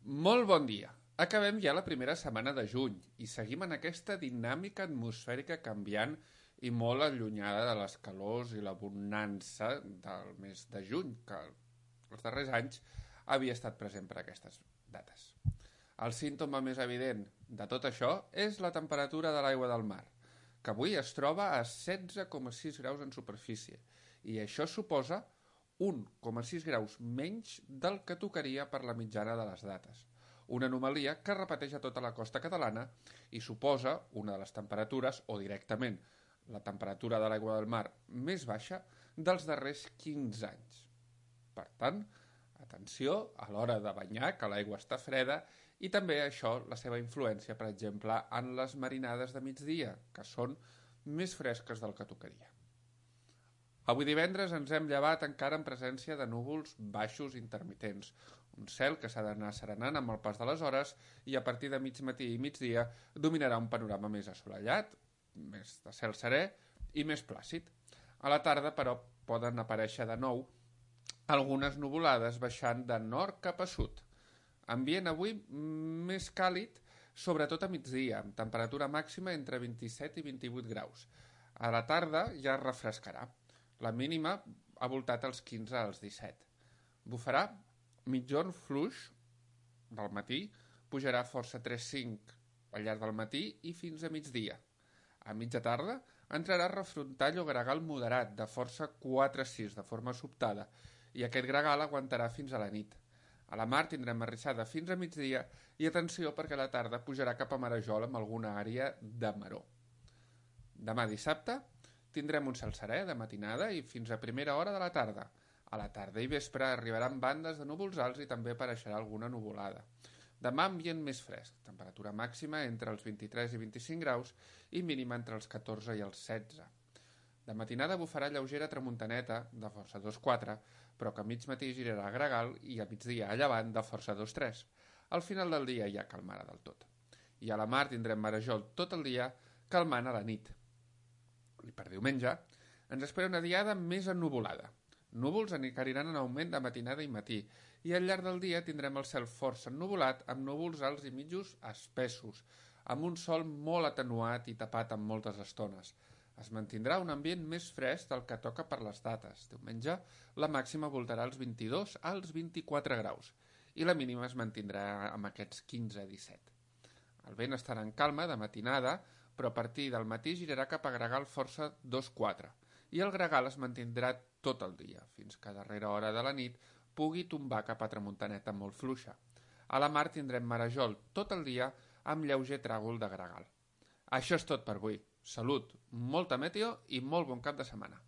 Molt bon dia. Acabem ja la primera setmana de juny i seguim en aquesta dinàmica atmosfèrica canviant i molt allunyada de les calors i la bonança del mes de juny, que els darrers anys havia estat present per aquestes dates. El símptoma més evident de tot això és la temperatura de l'aigua del mar, que avui es troba a 16,6 graus en superfície, i això suposa 1,6 graus menys del que tocaria per la mitjana de les dates. Una anomalia que es repeteix a tota la costa catalana i suposa una de les temperatures, o directament la temperatura de l'aigua del mar més baixa dels darrers 15 anys. Per tant, atenció a l'hora de banyar, que l'aigua està freda, i també això, la seva influència, per exemple, en les marinades de migdia, que són més fresques del que tocaria. Avui divendres ens hem llevat encara en presència de núvols baixos intermitents, un cel que s'ha d'anar serenant amb el pas de les hores i a partir de mig matí i migdia dominarà un panorama més assolellat, més de cel serè i més plàcid. A la tarda, però, poden aparèixer de nou algunes nuvolades baixant de nord cap a sud. Ambient avui més càlid, sobretot a migdia, amb temperatura màxima entre 27 i 28 graus. A la tarda ja es refrescarà. La mínima ha voltat als 15 als 17. Bufarà mitjorn fluix del matí, pujarà força 3-5 al llarg del matí i fins a migdia. A mitja tarda entrarà refrontall o gregal moderat de força 4-6 de forma sobtada i aquest gregal aguantarà fins a la nit. A la mar tindrem arrissada fins a migdia i atenció perquè a la tarda pujarà cap a Marajol amb alguna àrea de maror. Demà dissabte tindrem un cel serè de matinada i fins a primera hora de la tarda. A la tarda i vespre arribaran bandes de núvols alts i també apareixerà alguna nuvolada. Demà ambient més fresc, temperatura màxima entre els 23 i 25 graus i mínima entre els 14 i els 16. De matinada bufarà lleugera tramuntaneta de força 2-4, però que a mig matí girarà a gregal i a migdia a llevant de força 2-3. Al final del dia ja calmarà del tot. I a la mar tindrem marejol tot el dia, calmant a la nit. I per diumenge ens espera una diada més ennuvolada. Núvols aniran en augment de matinada i matí, i al llarg del dia tindrem el cel força ennuvolat amb núvols alts i mitjos espessos, amb un sol molt atenuat i tapat en moltes estones. Es mantindrà un ambient més fresc del que toca per les dates. Diumenge la màxima voltarà als 22 als 24 graus i la mínima es mantindrà amb aquests 15-17. El vent estarà en calma de matinada, però a partir del matí girarà cap a gregal força 2-4 i el gregal es mantindrà tot el dia, fins que a darrera hora de la nit pugui tombar cap a tramuntaneta molt fluixa. A la mar tindrem marejol tot el dia amb lleuger tràgol de gregal. Això és tot per avui. Salut, molta meteo i molt bon cap de setmana.